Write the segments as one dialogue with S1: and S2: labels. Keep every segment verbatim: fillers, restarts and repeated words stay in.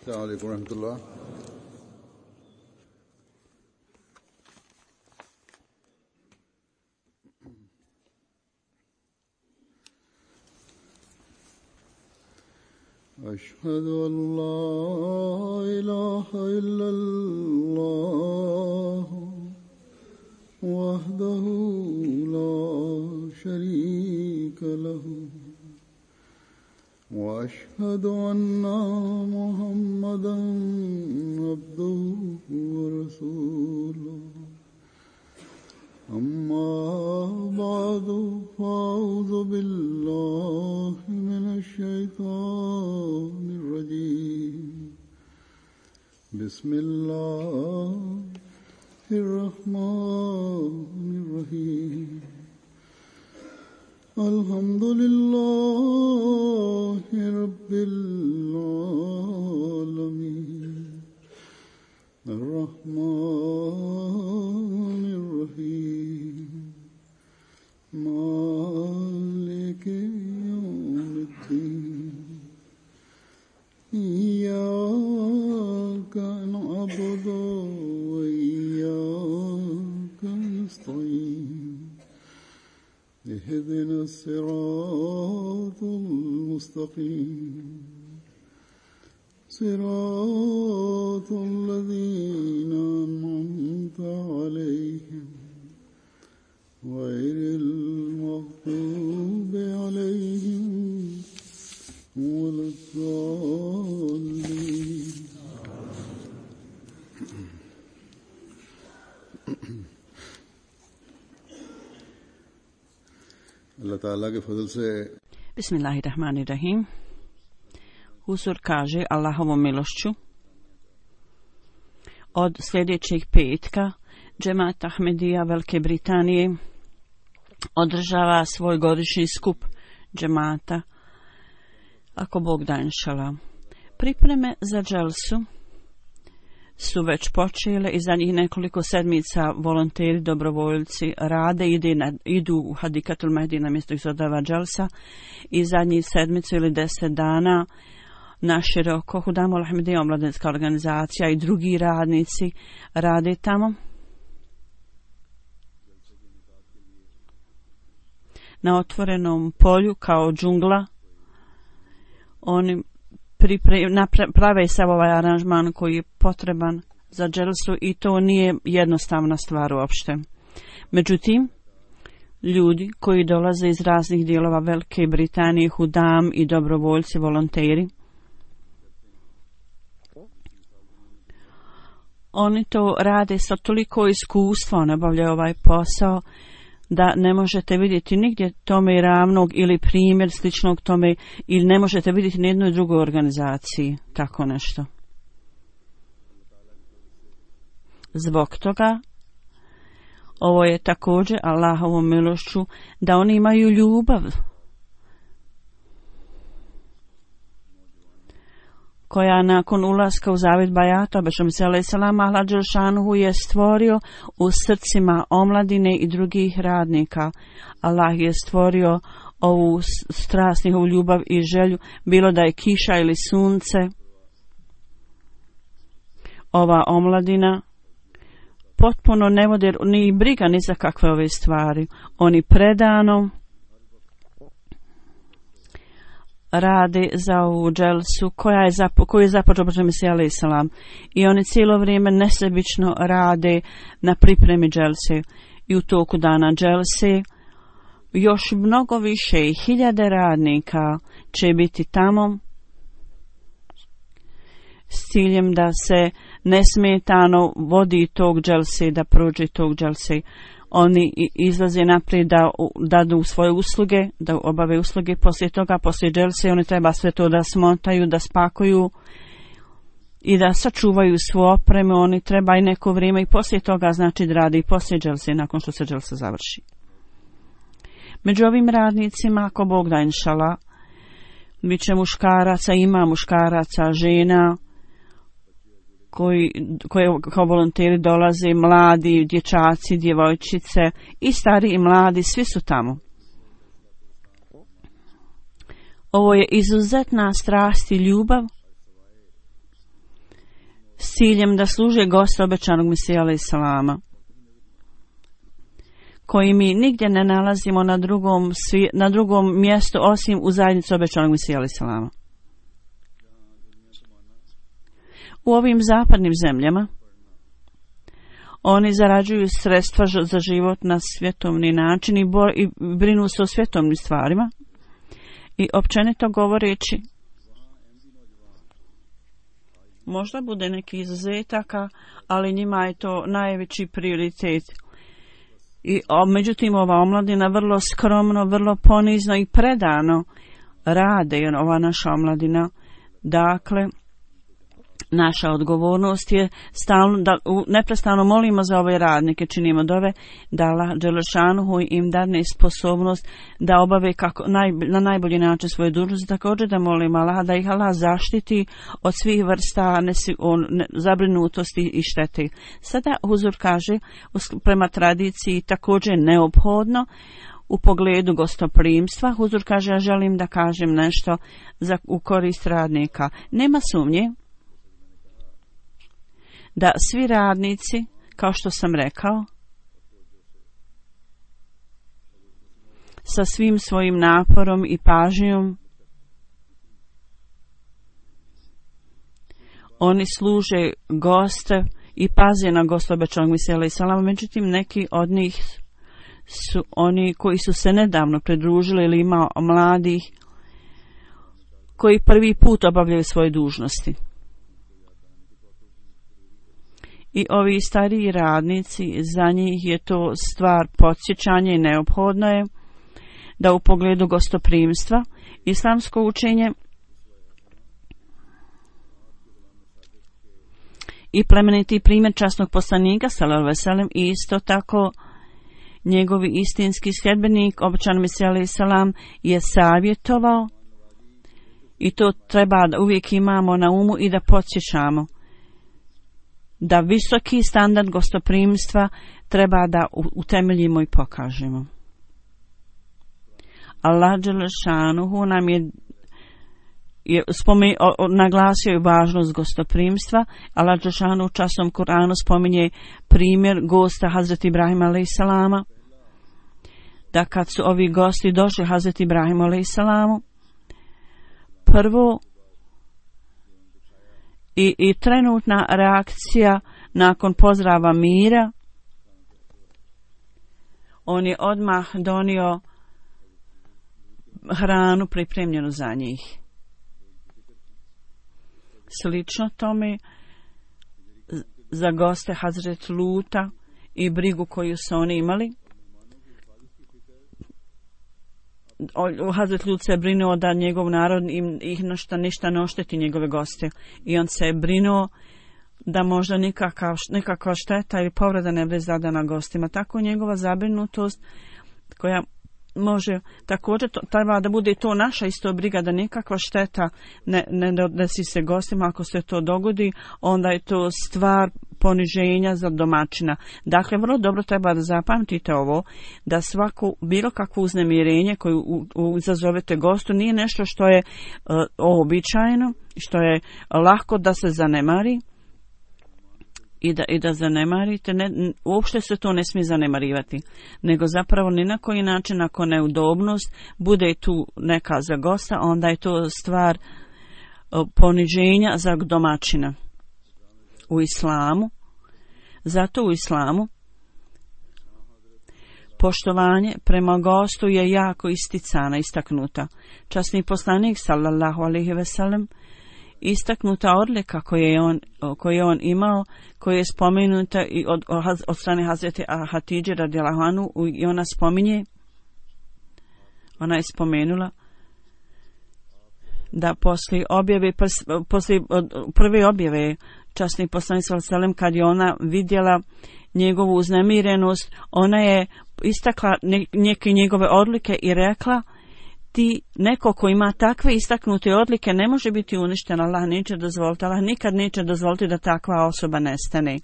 S1: السلام عليكم ورحمة الله. أشهد أن لا إله إلا الله وحده لا شريك له وأشهد أن محمدا عبده ورسوله أما بعد فأعوذ بالله من الشيطان الرجيم بسم الله الرحمن الرحيم الحمد لله رب العالمين الرحمن الرحيم مالك يوم الدين إياك نعبد وإياك نستعين اهدنا الصراط المستقيم صراط الذين أنعمت عليهم غير المغضوب عليهم ولا الضالين. Allah Ta'ala ke fadl se
S2: Bismillahirrahmanirrahim. Huzur kaže Allahovom milošću od sljedećeg petka Džemat Ahmedija Velike Britanije održava svoj godišnji skup džemata, ako Bog da inšala. Pripreme za dželsu su već počele i za njih nekoliko sedmica volonteri, dobrovoljci rade, ide na, idu u Hadikatul Mehdi na mjesto izodava dželsa i zadnjih sedmicu ili deset dana naširoko Hudamul Ahmedija omladinska organizacija i drugi radnici rade tamo. Na otvorenom polju kao džungla oni Pripre, napra, prave sav ovaj aranžman koji je potreban za dželsu i to nije jednostavna stvar uopšte. Međutim, ljudi koji dolaze iz raznih dijelova Velike Britanije, hudam i dobrovoljci, volonteri, oni to rade sa toliko iskustva, oni obavljaju ovaj posao da ne možete vidjeti nigdje tome ravnog ili primjer sličnog tome ili ne možete vidjeti ni jednoj drugoj organizaciji tako nešto. Zbog toga ovo je također Allahovom milošću da oni imaju ljubav koja nakon ulaska u zavjet bajata Bešom se alaih salam Allah dželšanuhu je stvorio u srcima omladine i drugih radnika. Allah je stvorio ovu strast, njihovu ljubav i želju, bilo da je kiša ili sunce. Ova omladina potpuno ne vode ni briga ni za kakve ove stvari. Oni predano rade za ovu dželsu koja je zapo, koju je započeo Bešom se alaih salam i oni cijelo vrijeme nesebično rade na pripremi dželse i u toku dana dželse još mnogo više i hiljade radnika će biti tamo s ciljem da se nesmetano vodi tog dželse, da prođe tog dželse. Oni izlaze naprijed da dadu svoje usluge, da obave usluge, poslije toga, poslije dželse, oni treba sve to da smotaju, da spakuju i da sačuvaju svoju opremu, oni treba i neko vrijeme i poslije toga, znači da radi i poslije dželse, nakon što se dželsa završi. Među ovim radnicima, ako Bog da inšala, bit će muškaraca, ima muškaraca, žena, koji, koji kao volonteri dolaze, mladi, dječaci, djevojčice i stari i mladi, svi su tamo. Ovo je izuzetna strast i ljubav ciljem da služe goste obećanog Mesija alejhi selama, koji mi nigdje ne nalazimo na drugom, na drugom mjestu osim u zajednici obećanog Mesija alejhi selama. U ovim zapadnim zemljama oni zarađuju sredstva za život na svjetovni način i, bo, i brinu se o svjetovnim stvarima i općenito govoreći možda bude neki izuzetaka, ali njima je to najveći prioritet. I o, međutim ova omladina vrlo skromno, vrlo ponizno i predano rade, ova naša omladina. Dakle, naša odgovornost je stalno, da neprestano molimo za ove radnike, činimo dove da Allah dželešanuhu im dadne sposobnost da obave kako, naj, na najbolji način svoje dužnosti. Također da molimo Allah da ih Allah zaštiti od svih vrsta nesi, on, ne, zabrinutosti i štete. Sada Huzur kaže, prema tradiciji također neophodno u pogledu gostoprimstva. Huzur kaže, ja želim da kažem nešto za, u korist radnika. Nema sumnje da svi radnici, kao što sam rekao, sa svim svojim naporom i pažnjom, oni služe goste i paze na goste obećanog Mesija alejhi selama. Međutim, neki od njih su oni koji su se nedavno pridružili ili ima mladih koji prvi put obavljaju svoje dužnosti. I ovi stariji radnici, za njih je to stvar podsjećanja i neophodno je da u pogledu gostoprimstva islamsko učenje i plemeniti primjer časnog poslanika sallallahu alejhi ve sellem i isto tako njegovi istinski sljedbenik obećani Mesija alejhi selam je savjetovao i to treba da uvijek imamo na umu i da podsjećamo da visoki standard gostoprimstva treba da utemeljimo i pokažemo. Allah dželešanuhu nam je, je spomen, o, o, naglasio je važnost gostoprimstva. Allah dželešanuhu u časnom Kur'anu spominje primjer gosta Hazreti Ibrahima alejhi selama, da kad su ovi gosti došli Hazreti Ibrahimu alejhi selamu, prvo I, i trenutna reakcija nakon pozdrava mira, on je odmah donio hranu pripremljenu za njih. Slično tome za goste Hazret Luta i brigu koju su oni imali. Hazret Lut se brinuo da njegov narod im ih ništa, ništa ne ošteti njegove goste. I on se je brinuo da možda nikakav, nikakva šteta ili povreda ne bude zadana gostima. Tako njegova zabrinutost koja može također to, treba da bude to naša isto briga da nikakva šteta ne, ne desi se gostima. Ako se to dogodi, onda je to stvar poniženja za domaćina. Dakle, vrlo dobro treba da zapamtite ovo, da svako, bilo kakvo uznemirenje koje izazovete gostu nije nešto što je uh, običajno, što je lako da se zanemari i da, i da zanemarite. Ne, uopšte se to ne smije zanemarivati, nego zapravo ni na koji način ako neudobnost bude tu neka za gosta, onda je to stvar uh, poniženja za domaćina. U islamu, zato u islamu poštovanje prema gostu je jako isticana, istaknuta. Časni poslanik sallallahu alejhi ve sellem, istaknuta odlika koju je on, koju je on imao, koja je spomenuta i od, od strane Hazreti Hatidže radijallahu anhu, i ona spominje, ona je spomenula da poslije objave, poslije prve objave časni poslanik sallallahu alejhi ve sellem, kad je ona vidjela njegovu uznemirenost, ona je istakla neke njegove odlike i rekla, ti neko ko ima takve istaknute odlike ne može biti uništen, Allah neće dozvoliti, Allah nikad neće dozvoliti da takva osoba nestane.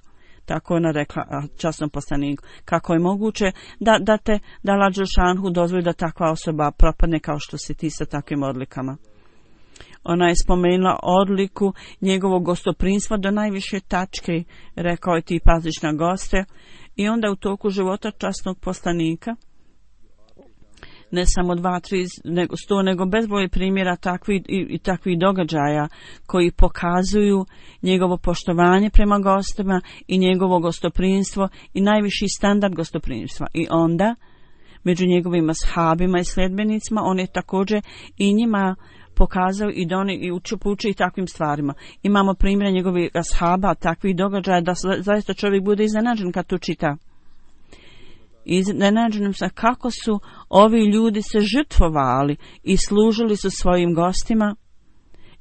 S2: Tako ona rekla časnom poslaniku. Kako je moguće da, da te da Allah dželešanuhu dozvoli da takva osoba propadne kao što si ti sa takvim odlikama. Ona je spomenula odliku njegovog gostoprinstva do najviše tačke, rekao je ti paziš na goste, i onda u toku života časnog poslanika, ne samo dva, tri, nego sto, nego bezbroj primjera takvih i, i takvih događaja koji pokazuju njegovo poštovanje prema gostima i njegovo gostoprinstvo i najviši standard gostoprinstva. I onda, među njegovim ashabima i sljedbenicima, on je također i njima pokazao i da oni i uči, uči i takvim stvarima. Imamo primjere njegovih ashaba, takvih događaja da zaista čovjek bude iznenađen kad to čita. Iznenađenim sam kako su ovi ljudi se žrtvovali i služili su svojim gostima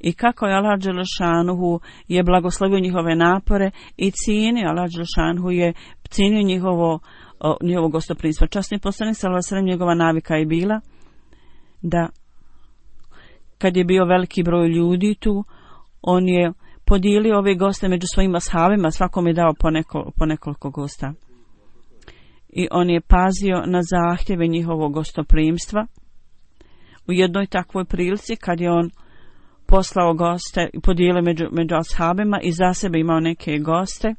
S2: i kako je Allah Đelešanuhu je blagoslovio njihove napore i cijenio, Allah Đelešanuhu je cijenio njihovo, njihovo gostoprinstvo. Časni poslanik sallallahu alejhi ve sellem, njegova navika je bila da kad je bio veliki broj ljudi tu, on je podijelio ove goste među svojim ashabima, svakom je dao po, neko, po nekoliko gosta. I on je pazio na zahtjeve njihovog gostoprimstva. U jednoj takvoj prilici, kad je on poslao goste i podijelio među, među ashabima i za sebe imao neke goste,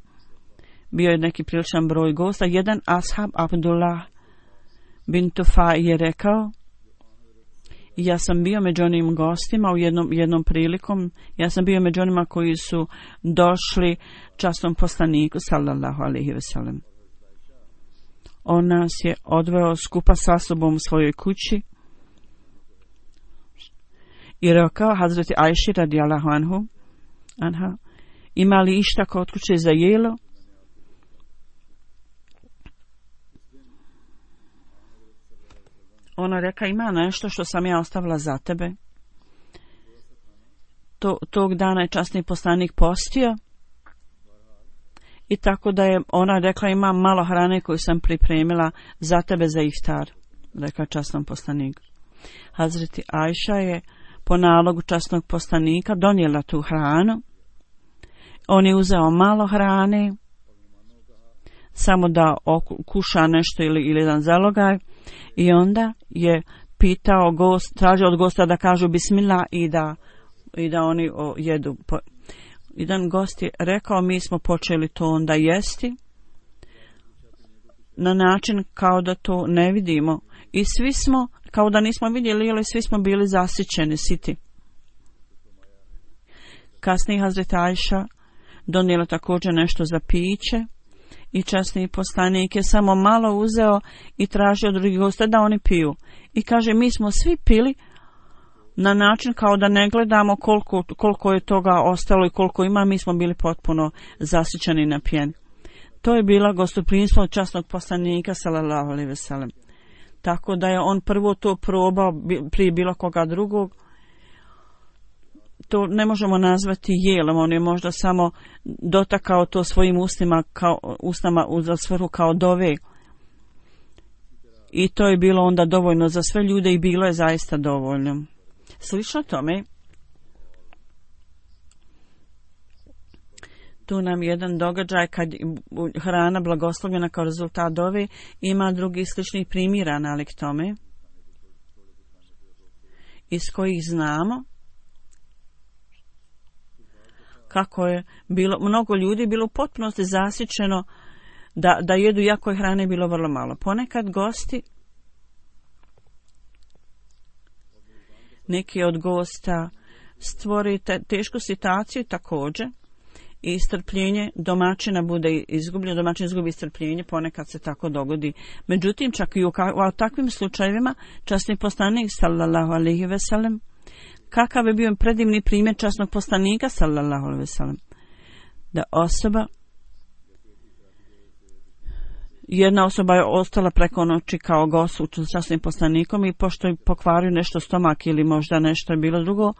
S2: bio je neki priličan broj gosta, jedan ashab, Abdullah bin Tufa, je rekao, ja sam bio među onim gostima u jednom, jednom prilikom, ja sam bio među onima koji su došli časnom poslaniku, sallallahu alejhi ve sellem. On nas je odveo skupa sa sobom u svojoj kući i rekao Hazreti Ajši radijallahu anhu, anha, ima li išta kod kuće za jelo? Ona reka, ima nešto što sam ja ostavila za tebe. To, tog dana je časni poslanik postio i tako da je ona rekla, imam malo hrane koju sam pripremila za tebe za iftar, rekla časnom poslaniku. Hazreti Ajša je po nalogu časnog poslanika donijela tu hranu. On je uzeo malo hrane, samo da kuša nešto ili, ili jedan zalogaj, i onda je pitao gost, tražio od gosta da kažu bismillah i da, i da oni o, jedu. Jedan gost je rekao, mi smo počeli to onda jesti na način kao da to ne vidimo i svi smo, kao da nismo vidjeli, ali svi smo bili zasićeni, siti. Kasnije Hazreti Ajša donijela također nešto za piće i časni poslanik je samo malo uzeo i tražio od drugih gosta da oni piju. I kaže, mi smo svi pili na način kao da ne gledamo koliko, koliko je toga ostalo i koliko ima, mi smo bili potpuno zasićeni na pjeni. To je bila gostoprimstvo časnog poslanika sallallahu alejhi ve sellem. Tako da je on prvo to probao prije bilo koga drugog. To ne možemo nazvati jelom, on je možda samo dotakao to svojim ustima kao, ustama za svrhu kao dove. I to je bilo onda dovoljno za sve ljude i bilo je zaista dovoljno. Slično tome, tu nam jedan događaj kad hrana blagoslovljena kao rezultat dove, ima drugi sličnih primjera nalik tome, iz kojih znamo kako je bilo, mnogo ljudi bilo u potpunosti zasićeno da, da jedu, iako je hrane bilo vrlo malo. Ponekad gosti, neki od gosta stvori te, tešku situaciju također i strpljenje domaćina bude izgubljeno, domaćin izgubi strpljenje, ponekad se tako dogodi. Međutim, čak i u, u takvim slučajevima časni poslanik sallallahu alejhi ve sellem, kakav je bio predivni primjer časnog poslanika sallallahu alejhi ve sellem, da osoba, jedna osoba je ostala preko noći kao gost u časnim poslanikom i pošto je pokvario nešto stomak ili možda nešto je bilo drugo,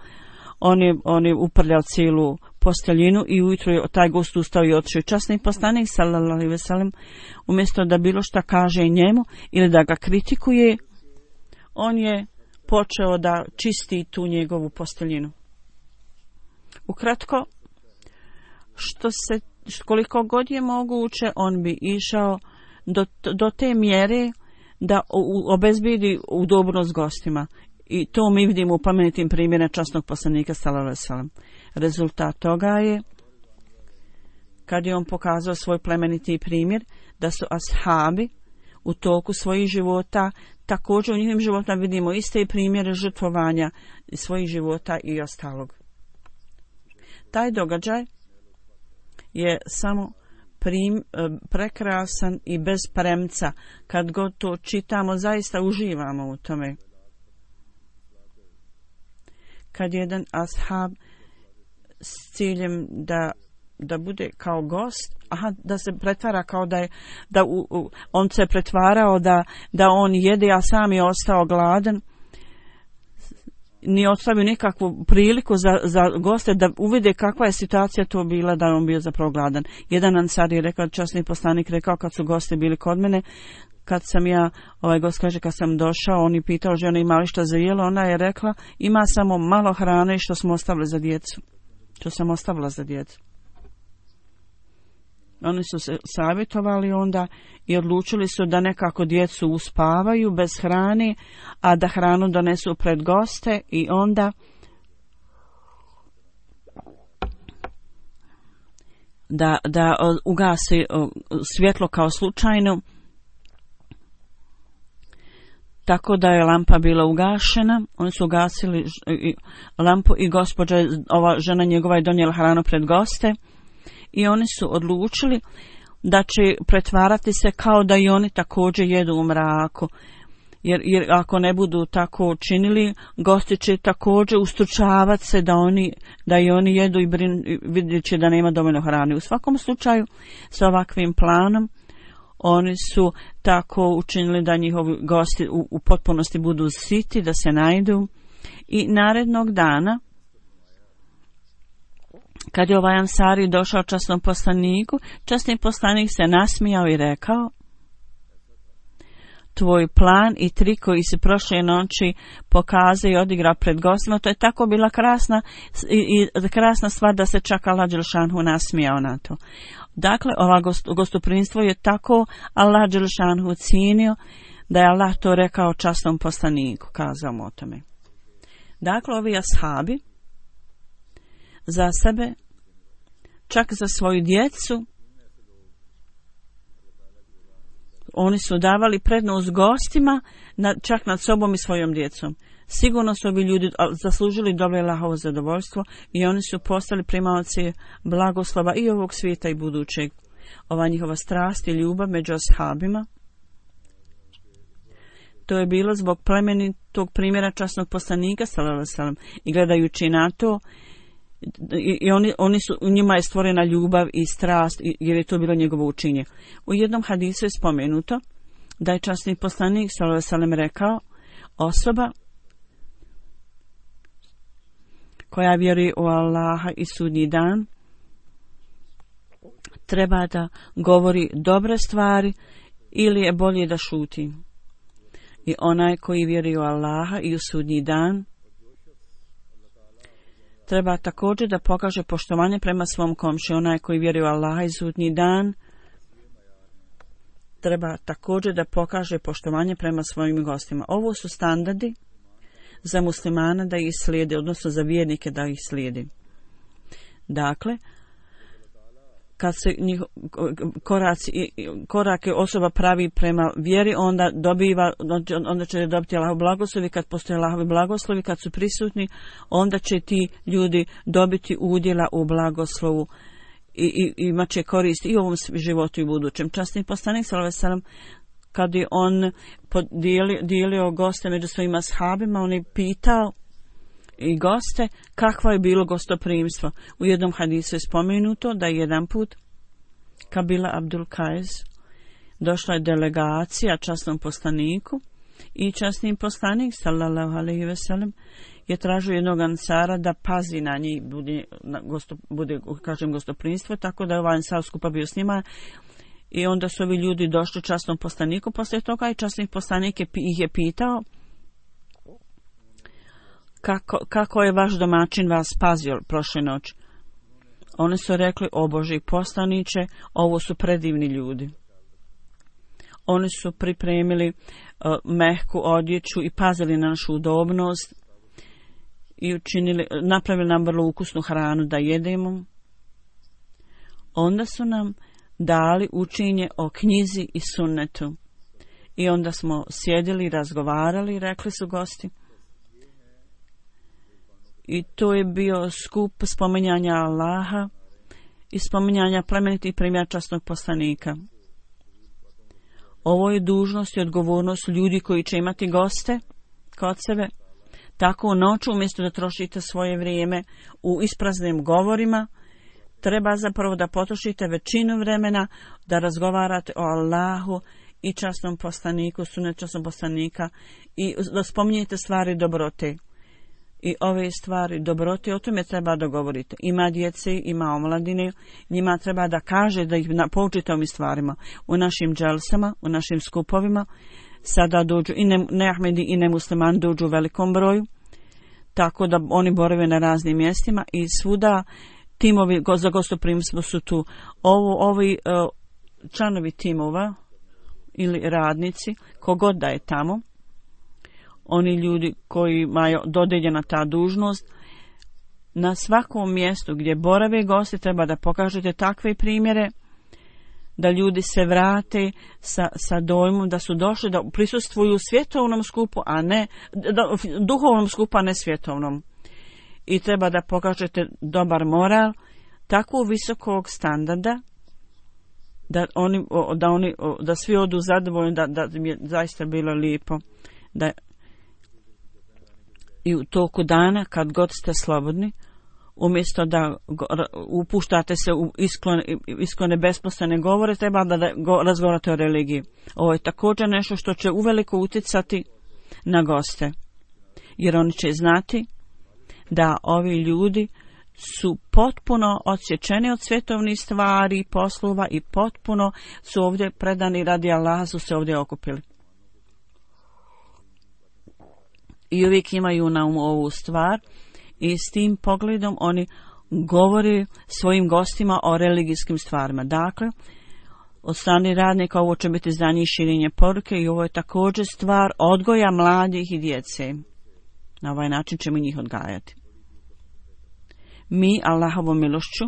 S2: on je, on je uprljao cijelu posteljinu i ujutro je taj gost ustao i otišao. Časni poslanik sallallahu alejhi ve sellem, umjesto da bilo šta kaže njemu ili da ga kritikuje, on je počeo da čisti tu njegovu posteljinu. Ukratko, što se, koliko god je moguće, on bi išao do, do te mjere da obezbijedi udobnost gostima. I to mi vidimo u plemenitim primjerima časnog poslanika sallallahu alejhi ve sellem. Rezultat toga je, kad je on pokazao svoj plemeniti primjer, da su ashabi u toku svojih života, također u njihovim životima vidimo iste primjere žrtvovanja svojih života i ostalog. Taj događaj je samo prim, prekrasan i bez premca. Kad god to čitamo, zaista uživamo u tome. Kad jedan ashab s ciljem da da bude kao gost, aha, da se pretvara kao da je, da u, u, on se pretvarao da, da on jede, a sam je ostao gladan, nije ostavio nikakvu priliku za, za goste da uvide kakva je situacija to bila da on bio zapravo gladan. Jedan ansar je rekao, časni poslanik rekao kad su gosti bili kod mene, kad sam ja, ovaj gost kaže, kad sam došao, on je pitao žena ima li šta za jelo, ona je rekla ima samo malo hrane što smo ostavili za djecu. Što sam ostavila za djecu. Oni su se savjetovali onda i odlučili su da nekako djecu uspavaju bez hrane, a da hranu donesu pred goste i onda da, da ugasi svjetlo kao slučajno, tako da je lampa bila ugašena. Oni su ugasili lampu i gospođa, ova žena njegova je donijela hranu pred goste. I oni su odlučili da će pretvarati se kao da i oni također jedu u mraku. Jer, jer ako ne budu tako činili, gosti će također ustručavati se da, oni, da i oni jedu i vidjet će da nema dovoljno hrane. U svakom slučaju, s ovakvim planom, oni su tako učinili da njihovi gosti u, u potpunosti budu siti, da se najdu. I narednog dana, kad je ovaj ansari došao časnom poslaniku, časni poslanik se nasmijao i rekao: tvoj plan i trik koji si prošle noći pokazao i odigrao pred gostima, to je tako bila krasna i, i krasna stvar da se čak Allah dželšanhu nasmijao na to. Dakle, ova gost, gostoprimstvo je tako Allah dželšanhu cijenio da je Allah to rekao časnom poslaniku, kazao mu o tome. Dakle, ovi ashabi za sebe, čak za svoju djecu, oni su davali prednost gostima, na, čak nad sobom i svojom djecom. Sigurno su ovi ljudi zaslužili dobro Allahovo zadovoljstvo i oni su postali primaoci blagoslova i ovog svijeta i budućeg. Ova njihova strast i ljubav među ashabima, to je bilo zbog plemenitog primjera časnog poslanika sallallahu alejhi ve sellem. I gledajući na to, i, i oni, oni su, u njima je stvorena ljubav i strast, jer je to bilo njegovo učinje. U jednom hadisu je spomenuto da je časni poslanik sallallahu alejhi ve sellem rekao: osoba koja vjeruje u Allaha i sudnji dan treba da govori dobre stvari ili je bolje da šuti. I onaj koji vjeruje u Allaha i u sudnji dan treba također da pokaže poštovanje prema svom komši. Onaj koji vjeruje u Allaha i sudnji dan treba također da pokaže poštovanje prema svojim gostima. Ovo su standardi za muslimana da ih slijede, odnosno za vjernike da ih slijedi. Dakle, kad se njih, koraci, korake osoba pravi prema vjeri, onda dobiva, onda će dobiti Allahov blagoslovi. Kad postoje Allahovi blagoslovi, kad su prisutni, onda će ti ljudi dobiti udjela u blagoslovu i, i, i imat će korist i u ovom životu i u budućem. Časni poslanik sallallahu alejhi ve sellem, kad je on podijelio, dijelio goste među svojim ashabima, on je pitao i goste kakvo je bilo gostoprimstvo. U jednom hadisu je spomenuto da je jedan put Kabila Abdul Kajs došla je delegacija časnom poslaniku i časni poslanik sallallahu alejhi ve sellem je tražio jednog ansara da pazi na njih, bude, na gosto, bude kažem gostoprimstvo, tako da je ovaj ansar skupa bio s njima. I onda su ovi ljudi došli časnom poslaniku poslije toga i časni poslanik je, ih je pitao kako, kako je vaš domaćin vas pazio prošle noći. Oni su rekli: o Boži poslaniče, ovo su predivni ljudi. Oni su pripremili uh, mehku odjeću i pazili na našu udobnost i učinili, napravili nam vrlo ukusnu hranu da jedemo. Onda su nam dali učenje o knjizi i sunnetu. I onda smo sjedili i razgovarali, rekli su gosti. I to je bio skup spominjanja Allaha i spominjanja plemenitih primjera časnog poslanika. Ovo je dužnost i odgovornost ljudi koji će imati goste kod sebe. Tako u noću, umjesto da trošite svoje vrijeme u ispraznim govorima, treba zapravo da potrošite većinu vremena da razgovarate o Allahu i časnom poslaniku, sunnet časnog poslanika i da spominjete stvari dobrote. I ove stvari dobrote, o tome treba da govorite. Ima djece, ima omladine, njima treba da kaže da ih poučite ovim stvarima. U našim dželsama, u našim skupovima, sada dođu i ne, neahmedi i nemuslimani dođu u velikom broju, tako da oni borave na raznim mjestima i svuda timovi za gostoprimstvo su tu. Ovo, ovi uh, članovi timova ili radnici, kogod da je tamo, oni ljudi koji imaju dodeljena ta dužnost, na svakom mjestu gdje borave gosti treba da pokažete takve primjere da ljudi se vrate sa, sa dojmom da su došli da prisustvuju svjetovnom skupu, a ne da, duhovnom skupu, a ne svjetovnom. I treba da pokažete dobar moral, tako visokog standarda da oni, da oni, da svi odu zadovoljni, da, da mi je zaista bilo lijepo. Da i u toku dana, kad god ste slobodni, umjesto da upuštate se u isklone, isklone besposlene govore, treba da razgovarate o religiji. Ovo je također nešto što će uveliko utjecati na goste, jer oni će znati da ovi ljudi su potpuno odsječeni od svjetovnih stvari, poslova i potpuno su ovdje predani radi Allaha, su se ovdje okupili. I uvijek imaju na umu ovu stvar i s tim pogledom oni govore svojim gostima o religijskim stvarima. Dakle, od strane radnika ovo će biti za njih širenje poruke i ovo je također stvar odgoja mladih i djece. Na ovaj način ćemo njih odgajati. Mi, Allahovom milošću,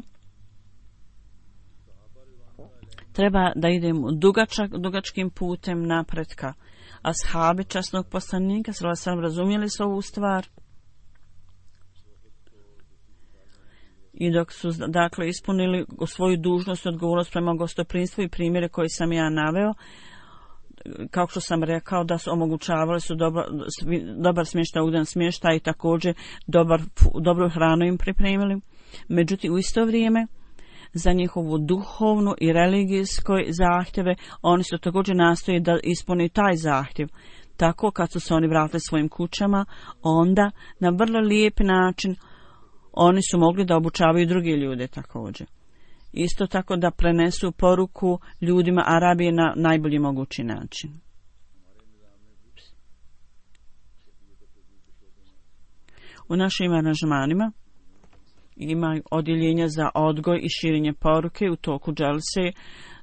S2: treba da idemo dugačak, dugačkim putem napretka. Ashabi časnog poslanika sallallahu alejhi ve sellem razumjeli su ovu stvar i dok su dakle ispunili svoju dužnost i odgovornost prema gostoprimstvu i primjere koje sam ja naveo, kao što sam rekao da su omogućavali su dobar, dobar smještaj, ugodan smještaj i također dobar, dobru hranu im pripremili. Međutim, u isto vrijeme za njihovu duhovnu i religijskoj zahtjeve oni su također nastoji da ispuni taj zahtjev. Tako kad su se oni vratili svojim kućama, onda na vrlo lijep način oni su mogli da obučavaju druge ljude također. Isto tako da prenesu poruku ljudima Arabije na najbolji mogući način. U našim aranžmanima imaju odjeljenja za odgoj i širenje poruke u toku dželse.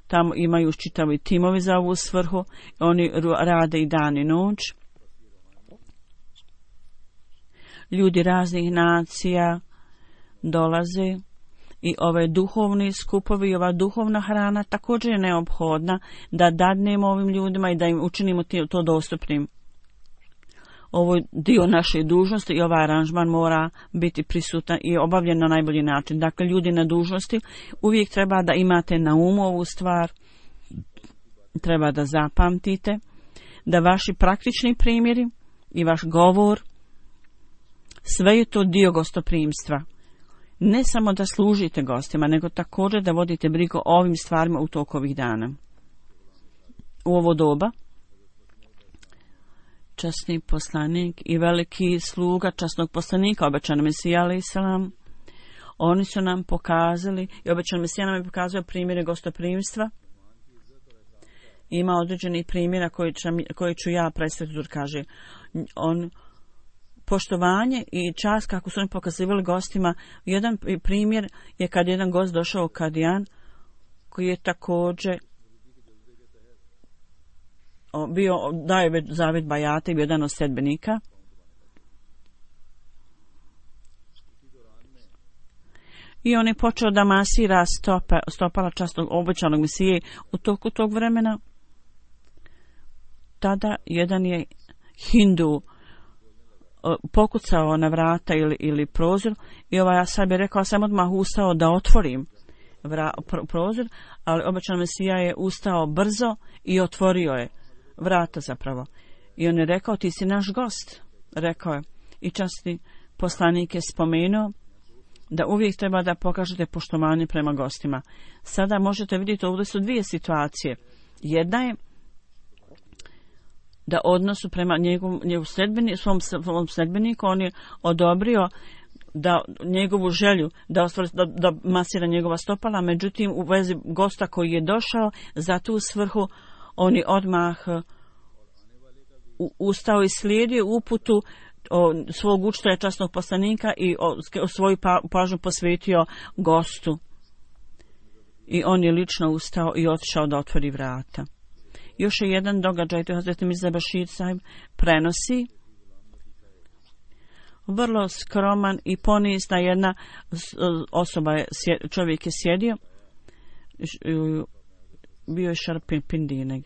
S2: Tamo imaju čitavi timovi za ovu svrhu. Oni rade i dan i noć. Ljudi raznih nacija dolaze i ove duhovni skupovi i ova duhovna hrana također je neophodna da dadnemo ovim ljudima i da im učinimo to dostupnim. Ovo je dio naše dužnosti i ovaj aranžman mora biti prisutan i obavljen na najbolji način. Dakle, ljudi na dužnosti uvijek treba da imate na umu ovu stvar, treba da zapamtite da vaši praktični primjeri i vaš govor, sve je to dio gostoprimstva. Ne samo da služite gostima, nego također da vodite brigu o ovim stvarima u toku ovih dana. U ovo doba časni poslanik i veliki sluga časnog poslanika, obećan Mesija alejhi selam, oni su nam pokazali i obećan Mesija nam je pokazao primjere gostoprimstva. Ima određeni primjera koji, koji ću ja predstaviti, kaže on poštovanje i čast kako su oni pokazivali gostima. Jedan primjer je kad jedan gost došao u Kadijan koji je također bio, daje već zavjet bajata i bio jedan od sedbenika. I on je počeo da masira stope, stopala časnog obećanog Mesije u toku tog vremena. Tada jedan je Hindu pokucao na vrata ili, ili prozor i ovaj Asab je rekao, sam odmah ustao da otvorim vra, pro, prozor, ali obećan Mesija je ustao brzo i otvorio je vrata zapravo. I on je rekao, ti si naš gost, rekao je. I časni poslanik je spomenuo da uvijek treba da pokažete poštovanje prema gostima. Sada možete vidjeti, ovdje su dvije situacije. Jedna je da odnosu prema njegovom, njegovom sledbeni, svom, svom sledbeniku on je odobrio da njegovu želju da, ostvari, da, da masira njegova stopala, međutim u vezi gosta koji je došao za tu svrhu on je odmah ustao i slijedio uputu o, svog učitelja časnog poslanika i o, o svoju pa, pažnju posvetio gostu. I on je lično ustao i otišao da otvori vrata. Još je jedan događaj, to je Hazreti Mirza Bashir Sahib prenosi. Vrlo skroman i ponizna jedna osoba, je, čovjek je sjedio, bio je Šarpin Pindinek.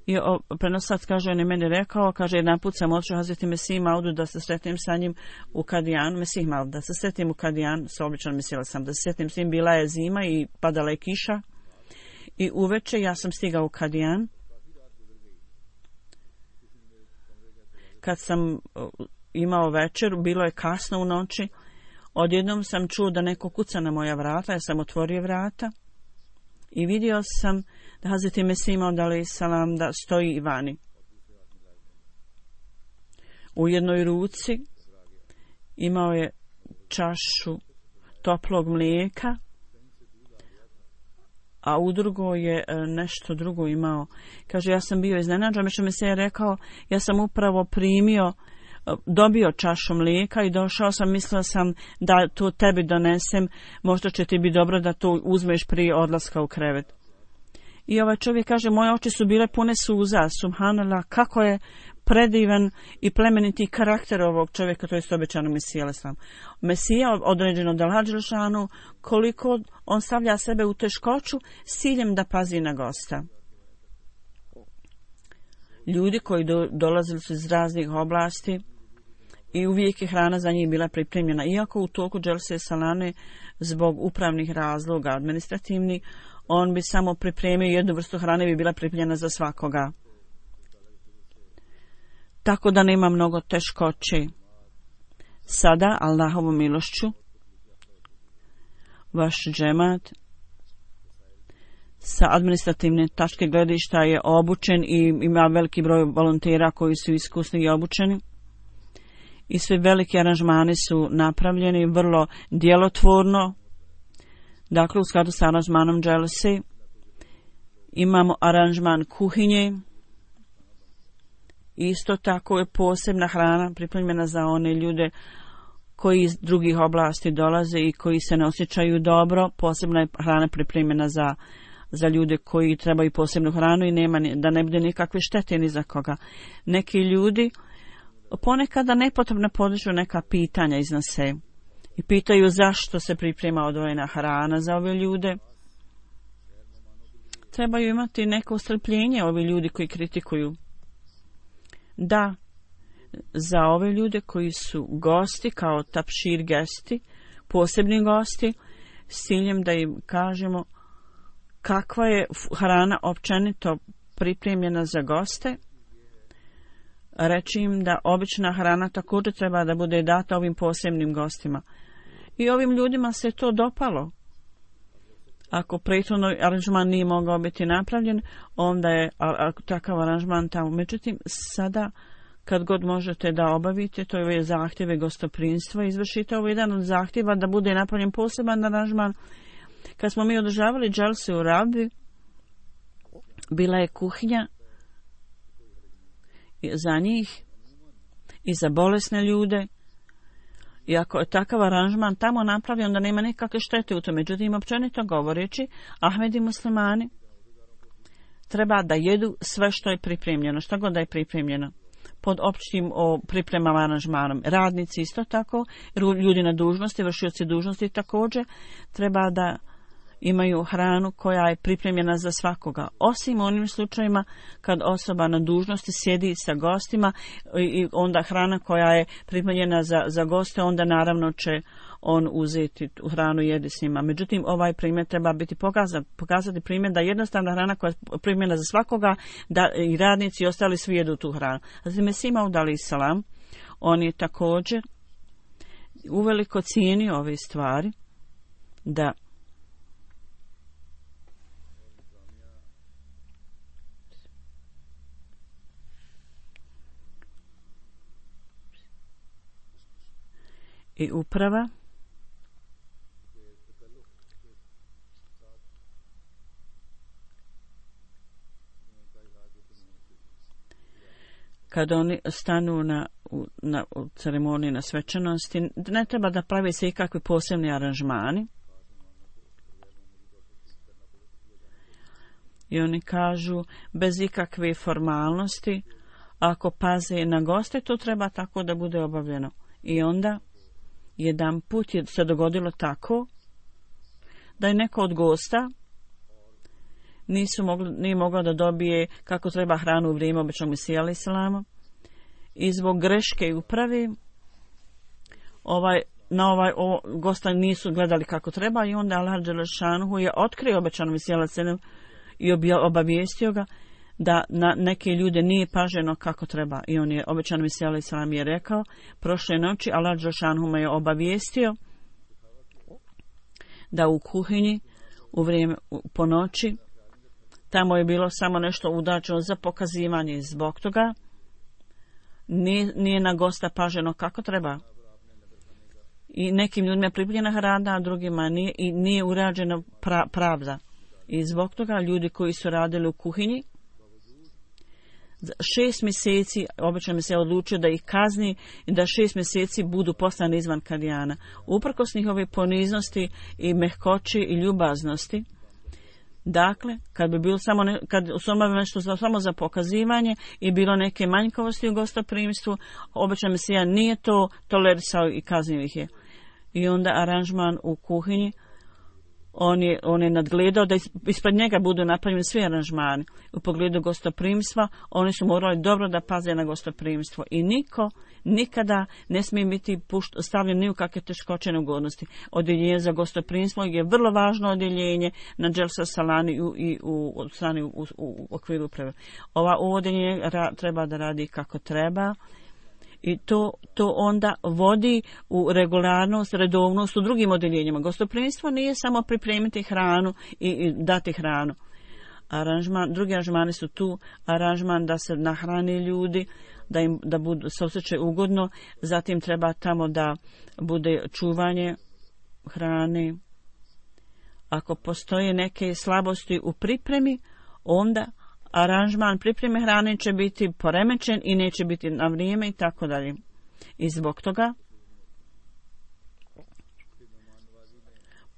S2: I prenosac kaže, on je meni rekao, kaže, jedan put sam odšao Hazreti Mesih Maudu da se sretnem sa njim u Kadijanu, Mesih Maud, da se sretnem u Kadijanu, sa običan mislila sam da se sretnem s njim, bila je zima i padala je kiša. I uveče ja sam stigao u Kadijan. Kad sam imao večer, bilo je kasno u noći, odjednom sam čuo da neko kuca na moja vrata, ja sam otvorio vrata i vidio sam da Hazreti Mesih Maud alejhi selam da stoji vani. U jednoj ruci imao je čašu toplog mlijeka, a u drugoj je nešto drugo imao. Kaže, ja sam bio iznenađen, međutim mi se je rekao, ja sam upravo primio, dobio čašu mlijeka i došao sam, mislio sam da to tebi donesem, možda će ti biti dobro da to uzmeš prije odlaska u krevet. I ovaj čovjek kaže, moje oči su bile pune suza, subhanallah, kako je predivan i plemeniti karakter ovog čovjeka, to je obećano Mesija alejhi Mesija određeno da Al-Hadželšanu, koliko on stavlja sebe u teškoću s ciljem da pazi na gosta. Ljudi koji do, dolazili su iz raznih oblasti i uvijek je hrana za njih bila pripremljena. Iako u toku Dželse Salane zbog upravnih razloga, administrativni, on bi samo pripremio jednu vrstu hrane, bi bila pripremljena za svakoga. Tako da nema mnogo teškoće. Sada, Allahovom milošću, vaš džemat sa administrativne tačke gledišta je obučen i ima veliki broj volontera koji su iskusni i obučeni. I sve veliki aranžmani su napravljeni vrlo djelotvorno. Dakle, u skladu sa aranžmanom Dželse imamo aranžman kuhinje. Isto tako je posebna hrana pripremljena za one ljude koji iz drugih oblasti dolaze i koji se ne osjećaju dobro. Posebna je hrana pripremljena za, za ljude koji trebaju posebnu hranu i nema, da ne bude nikakve štete ni za koga. Neki ljudi ponekada nepotrebno podižu neka pitanja iznose i pitaju zašto se priprema odvojena hrana za ove ljude. Trebaju imati neko strpljenje ovi ljudi koji kritikuju. Da, za ove ljude koji su gosti, kao tapšir gesti, posebni gosti, s ciljem da im kažemo kakva je hrana općenito pripremljena za goste, reći im da obična hrana također treba da bude data ovim posebnim gostima. I ovim ljudima se to dopalo. Ako prethodno aranžman nije mogao biti napravljen, onda je a, a, takav aranžman tamo. Međutim, sada kad god možete da obavite, to je zahtjeve gostoprinstva, izvršite ovo jedan od zahtjeva da bude napravljen poseban aranžman. Kad smo mi održavali dželse u Rabi, bila je kuhinja za njih i za bolesne ljude. I ako je takav aranžman tamo napravljen, da nema nikakve štete u tome. Međutim, općenito govoreći, Ahmedi muslimani treba da jedu sve što je pripremljeno, što god da je pripremljeno. Pod općim o pripremama aranžmanom. Radnici isto tako, ljudi na dužnosti, vršioci dužnosti također, treba da imaju hranu koja je pripremljena za svakoga. Osim u onim slučajima kad osoba na dužnosti sjedi sa gostima i onda hrana koja je pripremljena za, za goste, onda naravno će on uzeti tu hranu i jedi s njima. Međutim, ovaj primjer treba biti pokazan, pokazati primjer da jednostavna hrana koja je pripremljena za svakoga, da i radnici i ostali svi jedu tu hranu. Zatim Mesih Maud alejhi selam, on je također uveliko cijenio ove stvari, da i uprava kad oni stanu na, na u ceremoniji na svečanosti, ne treba da pravi se ikakvi posebni aranžmani. I oni kažu, bez ikakve formalnosti, ako paze na goste, to treba tako da bude obavljeno. I onda jedan put je se dogodilo tako da je neko od gosta nisu mogli, nije mogao da dobije kako treba hranu u vrijeme običnog Mesija alejhi selama i zbog greške uprave ovaj, na ovaj o, gosta nisu gledali kako treba i onda Allah dželešanuhu je otkrio običanog Mesija alejhi selam i obavijestio ga da na neke ljude nije paženo kako treba. I on je, običan Mesija alejhi selam je rekao, prošle noći Allah dželešanuhu me je obavijestio da u kuhinji u vrijeme po noći tamo je bilo samo nešto udačeno za pokazivanje. Zbog toga nije, nije na gosta paženo kako treba. I nekim ljudima je pripremljena hrana, a drugima nije, i nije urađena pra, pravda. I zbog toga ljudi koji su radili u kuhinji, šest mjeseci, obično mi se odlučio da ih kazni i da šest mjeseci budu poslani izvan Kadijana. Uprkos njihove poniznosti i mehkoći i ljubaznosti, dakle, kad bi bilo samo ne, kad su obavili nešto za, samo za pokazivanje i bilo neke manjkavosti u gostoprimstvu, obično Mesija nije to tolerisao i kaznio ih je. I onda aranžman u kuhinji, on je, on je nadgledao da ispred njega budu napravljeni svi aranžmani. U pogledu gostoprimstva, oni su morali dobro da paze na gostoprimstvo. I niko nikada ne smije biti pušt, stavljen ni u kakve teškoće neugodnosti. Odjeljenje za gostoprimstvo je vrlo važno odjeljenje na Dželsa Salani i u, i u, u, u, u okviru uprave. Ova uvodjenje ra, treba da radi kako treba. I to, to onda vodi u regularnost, redovnost u drugim odjeljenjima. Gostoprimstvo nije samo pripremiti hranu i, i dati hranu. Aranžman, drugi aranžmani su tu, aranžman da se nahrani ljudi, da im da budu, se osjećaju ugodno, zatim treba tamo da bude čuvanje hrane. Ako postoje neke slabosti u pripremi, onda aranžman pripreme hrane će biti poremećen i neće biti na vrijeme i tako dalje. I zbog toga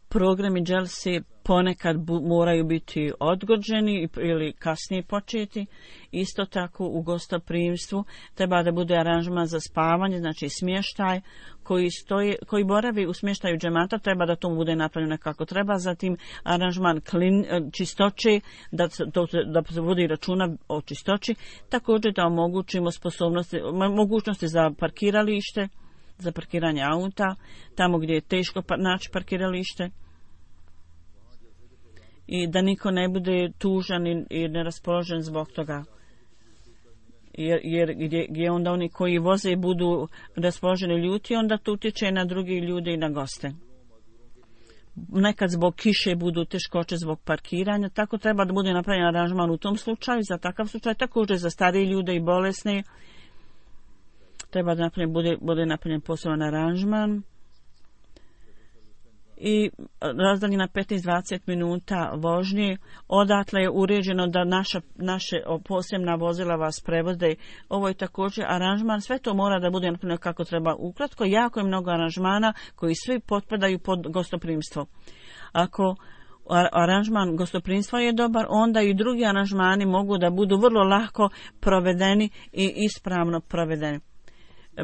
S2: programi dželsi ponekad bu, moraju biti odgođeni ili kasnije početi. Isto tako u gostoprimstvu treba da bude aranžman za spavanje, znači smještaj koji, stoji, koji boravi u smještaju džemata, treba da to bude napravljeno kako treba. Zatim aranžman klin, čistoće, da, to, da se vodi računa o čistoći. Također da omogućimo sposobnosti, mogućnosti za parkiralište, za parkiranje auta, tamo gdje je teško naći parkiralište. I da niko ne bude tužan i, i neraspoložen zbog toga. Jer, jer gdje, gdje onda oni koji voze budu raspoloženi ljuti, onda to utječe na drugi ljude i na goste. Nekad zbog kiše budu teškoće zbog parkiranja, tako treba da bude napravljen aranžman u tom slučaju, za takav slučaj, također za starije ljude i bolesne. Treba da napravljen, bude, bude napravljen poseban aranžman. I razdaljena petnaest do dvadeset minuta vožnje, odatle je uređeno da naša, naše posebna vozila vas prevode. Ovo je također aranžman, sve to mora da bude napravljeno kako treba. Ukratko, jako je mnogo aranžmana koji svi potpadaju pod gostoprimstvo. Ako aranžman gostoprimstva je dobar, onda i drugi aranžmani mogu da budu vrlo lako provedeni i ispravno provedeni.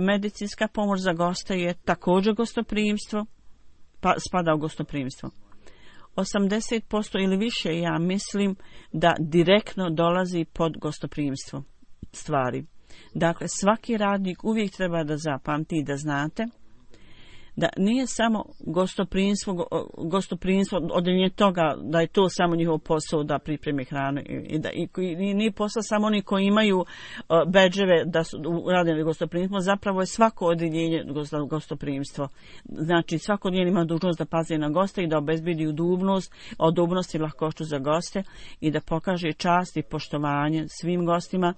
S2: Medicinska pomoć za goste je također gostoprimstvo, pa spada u gostoprimstvo. osamdeset posto ili više, ja mislim, da direktno dolazi pod gostoprimstvo stvari. Dakle, svaki radnik uvijek treba da zapamti i da znate da nije samo gostoprimstvo, gostoprimstvo odjeljenje toga da je to samo njihov posao da pripremi hranu i da i, i nije posao samo oni koji imaju uh, bedževe da su radili gostoprimstvo, zapravo je svako odjeljenje gostoprimstvo. Znači svako odjeljenje ima dužnost da pazi na goste i da obezbedi udobnost, udobnost i lahkoću za goste i da pokaže čast i poštovanje svim gostima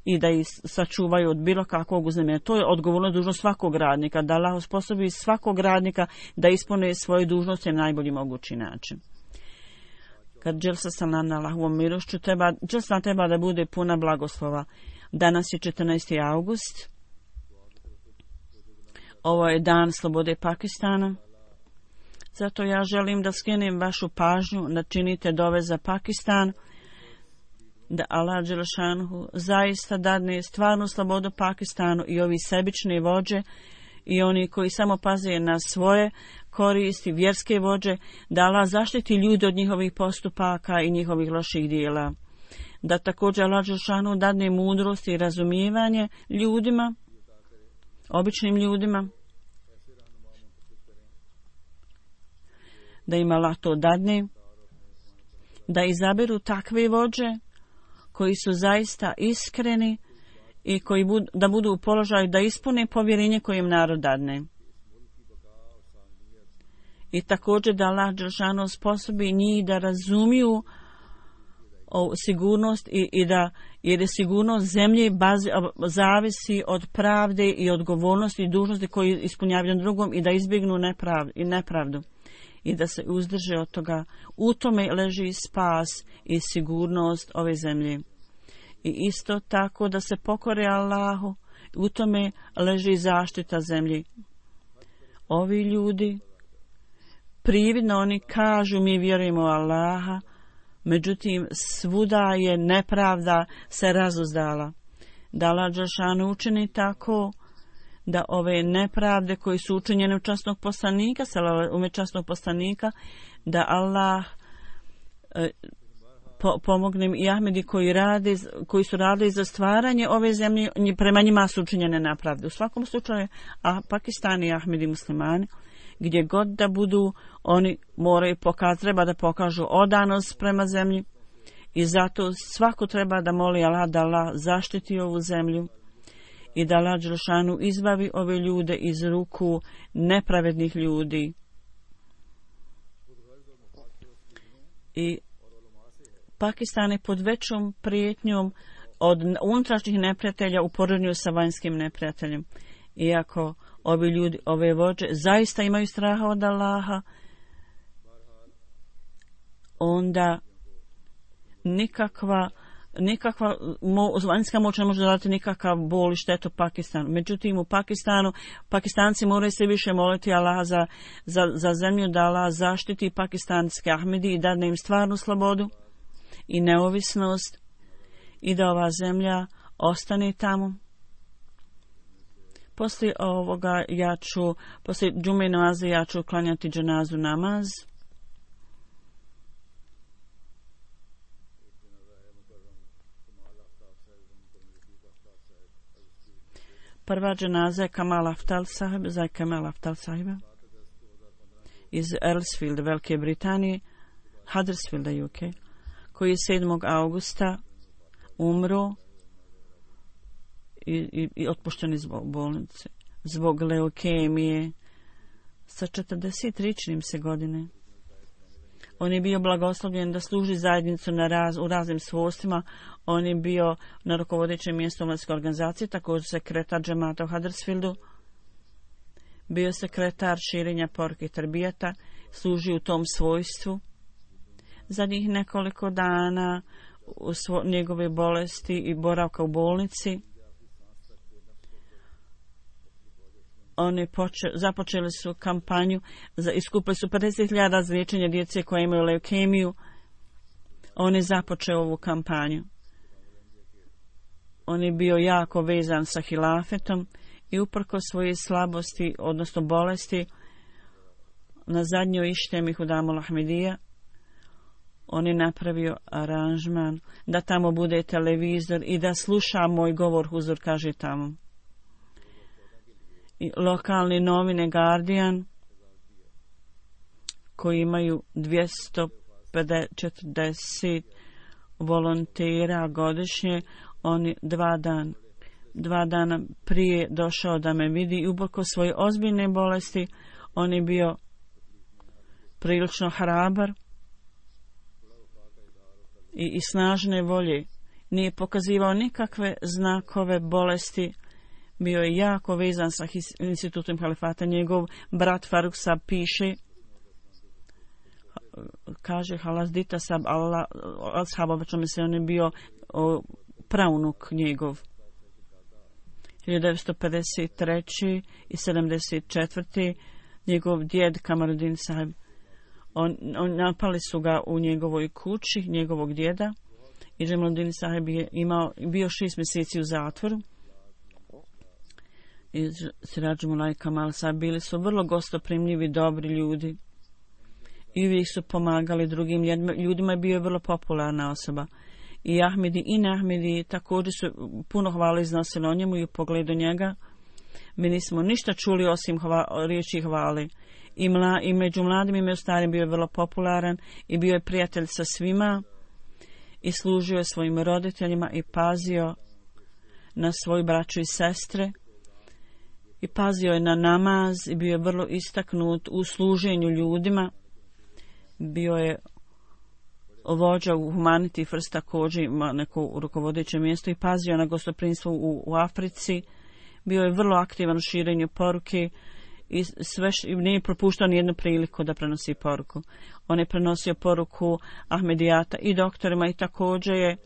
S2: i da ih sačuvaju od bilo kakvog uznemirenja. To je odgovorno dužnost svakog radnika, da Allah osposobi svakog radnika da ispune svoje dužnosti na najbolji mogući način. Kad dželsa salam na Allahovom milošću, treba, dželsa treba da bude puna blagoslova. Danas je četrnaesti august. Ovo je dan slobode Pakistana. Zato ja želim da skrenem vašu pažnju da činite dove za Pakistan, da Allah dželešanhu zaista dadne stvarnu slobodu Pakistanu i ovi sebični vođe i oni koji samo paze na svoje koristi, vjerske vođe, da Allah zaštiti ljude od njihovih postupaka i njihovih loših dijela. Da također Allah dželešanhu dadne mudrost i razumijevanje ljudima, običnim ljudima, da im Allah to dadne, da izaberu takve vođe koji su zaista iskreni i koji bud, da budu u položaju da ispune povjerenje koje im narod dadne. I također da Allah dželešanu sposobi njih da razumiju o sigurnost i, i da jer je sigurnost zemlje bazi, zavisi od pravde i odgovornosti i dužnosti koji ispunjavaju na drugom i da izbjegnu neprav, i nepravdu i da se uzdrže od toga. U tome leži spas i sigurnost ove zemlje. I isto tako da se pokore Allahu, u tome leži zaštita zemlji. Ovi ljudi, prividno oni kažu mi vjerujemo u Allaha, međutim svuda je nepravda se razuzdala. Da Allah dželešanu učini tako da ove nepravde koji su učinjene u časnog poslanika, ume časnog poslanika, da Allah e, po, pomogne i Ahmedi koji, rade, koji su radili za stvaranje ove zemlje, prema njima su učinjene nepravde. U svakom slučaju, a Pakistan i Ahmedi muslimani, gdje god da budu, oni moraju pokazati, treba da pokažu odanost prema zemlji i zato svako treba da moli Allah da Allah zaštiti ovu zemlju i da Allah dželešanu izbavi ove ljude iz ruku nepravednih ljudi. I Pakistan je pod većom prijetnjom od unutrašnjih neprijatelja u poređenju sa vanjskim neprijateljem. Iako ovi ljudi, ove vođe, zaista imaju straha od Allaha, onda nikakva nikakva mo, vanjska moć ne može dati nikakav bol i štetu Pakistanu. Međutim, u Pakistanu, Pakistanci moraju se više moliti Allaha za, za, za zemlju, da Allah zaštiti pakistanske Ahmedi i dadne im stvarnu slobodu i neovisnost i da ova zemlja ostane tamo. Poslije ovoga ja ću, poslije džume namaza ja ću klanjati dženazu namaz. Prva dženaza je Kamal Aftal sahib, za Kamal Aftal sahiba iz Earlsfield, Velike Britanije, Huddersfielda, U K, koji je sedmog augusta umro i, i, i otpušten iz bolnice zbog leukemije sa četrdesetričnim se godine. On je bio blagoslovljen da služi zajednicu na raz, u raznim svojstvima. On je bio na rukovodećem mjestu omladinske organizacije, također sekretar džemata u Huddersfieldu. Bio sekretar širenja poruke i tarbijata, služi u tom svojstvu. Zadnjih nekoliko dana u svo, njegove bolesti i boravka u bolnici oni poče, započeli su kampanju, za, iskupili su pedeset hiljada za liječenje djece koje imaju leukemiju. On je započeo ovu kampanju. On je bio jako vezan sa hilafetom i uprko svoje slabosti, odnosno bolesti, na zadnjoj ištemi Hudamul Ahmedija, on je napravio aranžman da tamo bude televizor i da sluša moj govor, huzur kaže tamo. I lokalne novine Guardian, koji imaju dvjesto četrdeset volontera godišnje, on je dva dana dva dana prije došao da me vidi i ubrko svoje ozbiljne bolesti, on je bio prilično hrabar i, i snažne volje. Nije pokazivao nikakve znakove bolesti, bio je jako vezan sa institutom halifata. Njegov brat Faruk Sab piše, kaže Halazdita Sab Allah, ashaba, čome se on je bio o, praunuk njegov. hiljadu devetsto pedeset treće i sedamdeset četvrte njegov djed Kamaruddin Saheb, on, on napali su ga u njegovoj kući, njegovog djeda, i Jamaluddin Saheb je imao, bio šest mjeseci u zatvoru. I Siraj Mulaj Kamal Saheb bili su vrlo gostoprimljivi, dobri ljudi i uvijek su pomagali drugim ljudima i bio je vrlo popularna osoba. I Ahmedi i Nahmedi također su puno hvale iznosili o njemu i u pogledu njega. Mi nismo ništa čuli osim hva, riječi hvale. I, mla, I među mladim i među starim bio je vrlo popularan i bio je prijatelj sa svima i služio je svojim roditeljima i pazio na svoju braću i sestre i pazio je na namaz i bio je vrlo istaknut u služenju ljudima. Bio je vođa u Humanity First, također ima neko rukovodeće mjesto i pazio na gostoprimstvo u, u Africi. Bio je vrlo aktivan u širenju poruke i sve š, nije propuštao nijednu priliku da prenosi poruku. On je prenosio poruku Ahmedijata i doktorima i također je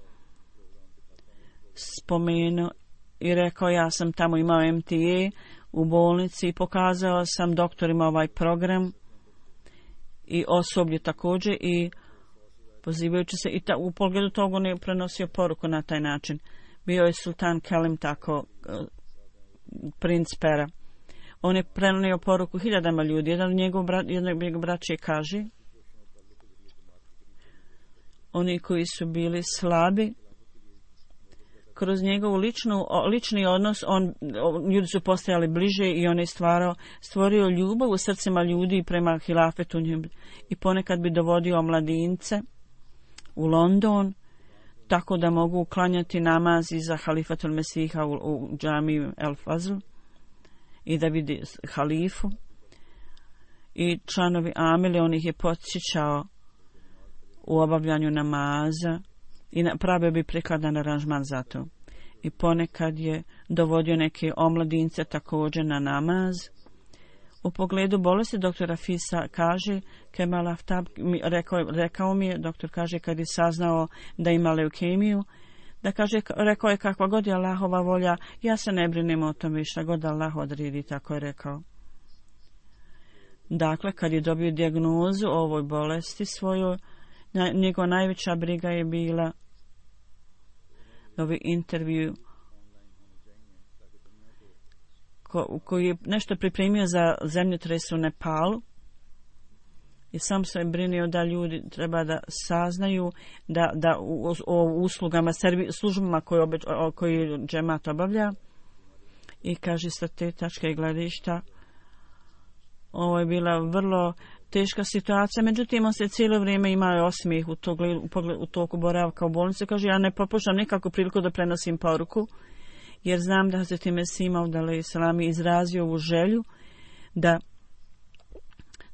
S2: spomenuo i rekao, ja sam tamo imao M T A u bolnici i pokazao sam doktorima ovaj program i osoblju također i pozivajući se i ta, u pogledu toga on je prenosio poruku na taj način. Bio je Sultan Kelim tako, princ Pera. On je prenio poruku hiljadama ljudi. Jedan od njegov, bra, jedan od njegov braće kaže, oni koji su bili slabi, kroz njegovu ličnu, lični odnos, on, ljudi su postajali bliže i on je stvarao, stvorio ljubav u srcima ljudi prema hilafetu i ponekad bi dovodio mladince u London, tako da mogu klanjati namaz iza halifatul Mesiha u, u džamiju El Fazl i da vidi halifu. I članovi Amile, on ih je podsjećao u obavljanju namaza i pravio bi prikladan aranžman za to. I ponekad je dovodio neke omladince također na namaz. U pogledu bolesti doktora Fisa kaže, Kemal Aftab, rekao, rekao mi je, doktor kaže kad je saznao da ima leukemiju, da kaže, rekao je kakva god je Allahova volja, ja se ne brinem o tome šta god Allah odredi, tako je rekao. Dakle, kad je dobio dijagnozu o ovoj bolesti svojoj, njegova najveća briga je bila novi intervju ko, koji je nešto pripremio za zemljotres u Nepalu i sam se brinio da ljudi treba da saznaju da, da o, o uslugama, servi, službama koje, obeč, o, koji džemat obavlja i kaže sa te tačke gledišta ovo je bila vrlo teška situacija, međutim on se cijelo vrijeme imao osmijeh u, to, u, u toku boravka u bolnici. Kaže, ja ne propuštam nikakvu priliku da prenosim poruku, jer znam da Hazreti Mesih Maud alejhi selam izrazio ovu želju da,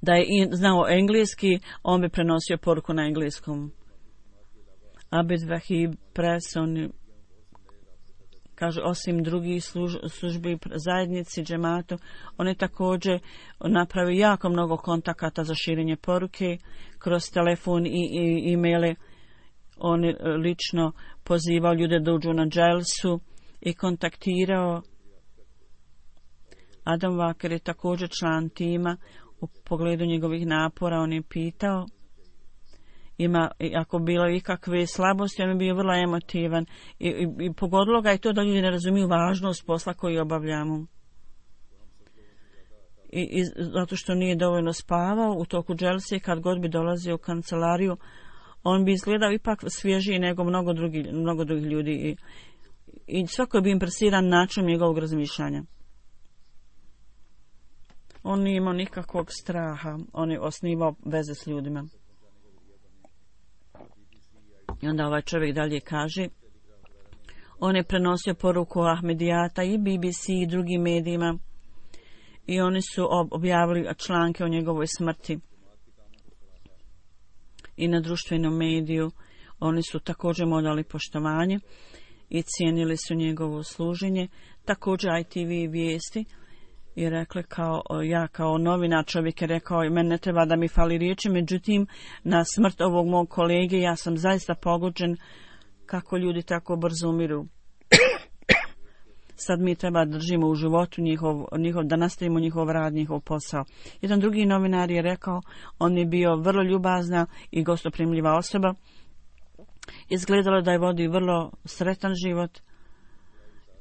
S2: da je znao engleski, on bi prenosio poruku na engleskom. Abed Vahib Press, on kaže, osim drugih služ, službi zajednici, džematu, on je također napravio jako mnogo kontakata za širenje poruke kroz telefon i, i e-maile. On je lično pozivao ljude da uđu na dželsu i kontaktirao Adam Walker je također član tima. U pogledu njegovih napora on je pitao ima, ako bilo ikakve slabosti, on je bio vrlo emotivan i, i, i pogodilo ga je to da ljudi ne razumiju važnost posla koji obavljamo. I, i zato što nije dovoljno spavao u toku dželse, kad god bi dolazio u kancelariju, on bi izgledao ipak svježiji nego mnogo drugih, mnogo drugih ljudi i, i svako bi impresiran načinom njegovog razmišljanja. On nije imao nikakvog straha, on je osnivao veze s ljudima. I onda ovaj čovjek dalje kaže, on je prenosio poruku Ahmedijata i B B C i drugim medijima i oni su objavili članke o njegovoj smrti. I na društvenom mediju oni su također mu dali poštovanje i cijenili su njegovo služenje. Također I T V vijesti i rekli kao, ja kao novinar, čovjek je rekao, meni ne treba da mi fali riječi, međutim na smrt ovog mog kolege ja sam zaista pogođen kako ljudi tako brzo umiru. Sad mi treba držimo u životu njihov, njihov, da nastavimo njihov rad, njihov posao. Jedan drugi novinar je rekao, on je bio vrlo ljubazna i gostoprimljiva osoba. Izgledalo da je vodi vrlo sretan život.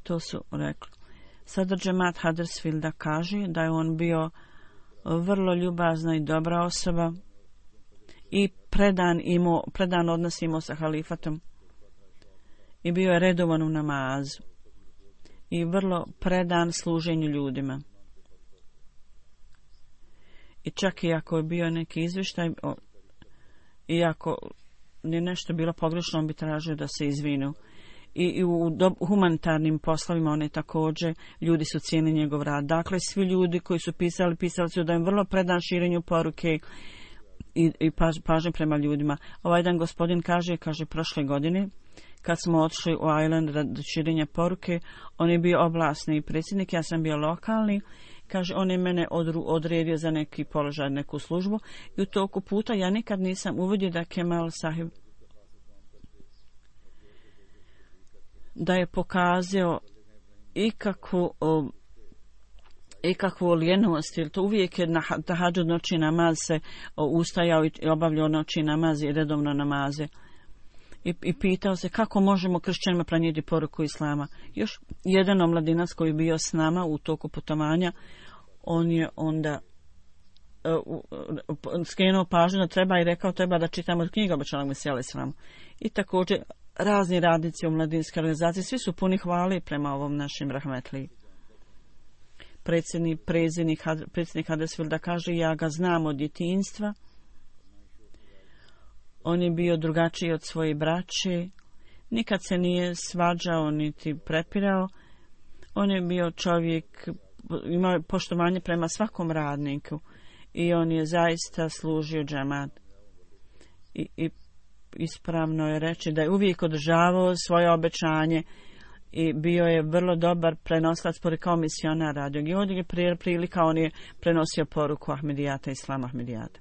S2: To su rekli. Sada Džemat Huddersfielda kaže da je on bio vrlo ljubazna i dobra osoba i predan, imao, predan odnos imao sa halifatom. I bio je redovan u namazu. I vrlo predan služenju ljudima. I čak i ako je bio neki izvještaj, i ako je nešto bilo pogrešno, on bi tražio da se izvinu. I, i u do, humanitarnim poslovima one također, ljudi su cijenili njegov rad. Dakle, svi ljudi koji su pisali, pisali su da je vrlo predan širenju poruke i, i paž, pažnje prema ljudima. Ovaj jedan gospodin kaže, kaže prošle godine, kad smo otišli u Island radi širenja poruke, on je bio oblasni predsjednik, ja sam bio lokalni, kaže, on je mene odru, odredio za neki položaj, neku službu i u toku puta ja nikad nisam uvidio da Kemal Sahib da je pokazao ikakvu o, ikakvu lijenost, jer to uvijek je na tahadžud noći namaz se o, ustajao i obavljao noći namaz i redovno namaze. I, i pitao se kako možemo kršćanima prenijeti poruku islama. Još jedan omladinac koji je bio s nama u toku putovanja, on je onda uh, uh, skrenuo pažnju da treba i rekao treba da čitamo od knjiga obećanog Mesija islama. I također razni radnici u mladinskoj organizaciji, svi su puni hvale prema ovom našim rahmetliji. Predsjednik, predsjednik, predsjednik Huddersfielda kaže, ja ga znam od djetinjstva. On je bio drugačiji od svoje braće, nikad se nije svađao niti prepirao. On je bio čovjek, imao poštovanje prema svakom radniku i on je zaista služio džemat. I, i ispravno je reći da je uvijek održavao svoje obećanje i bio je vrlo dobar prenosilac poruke kao misionar radio. I ovdje je prilika, on je prenosio poruku Ahmedijata, islama Ahmedijata.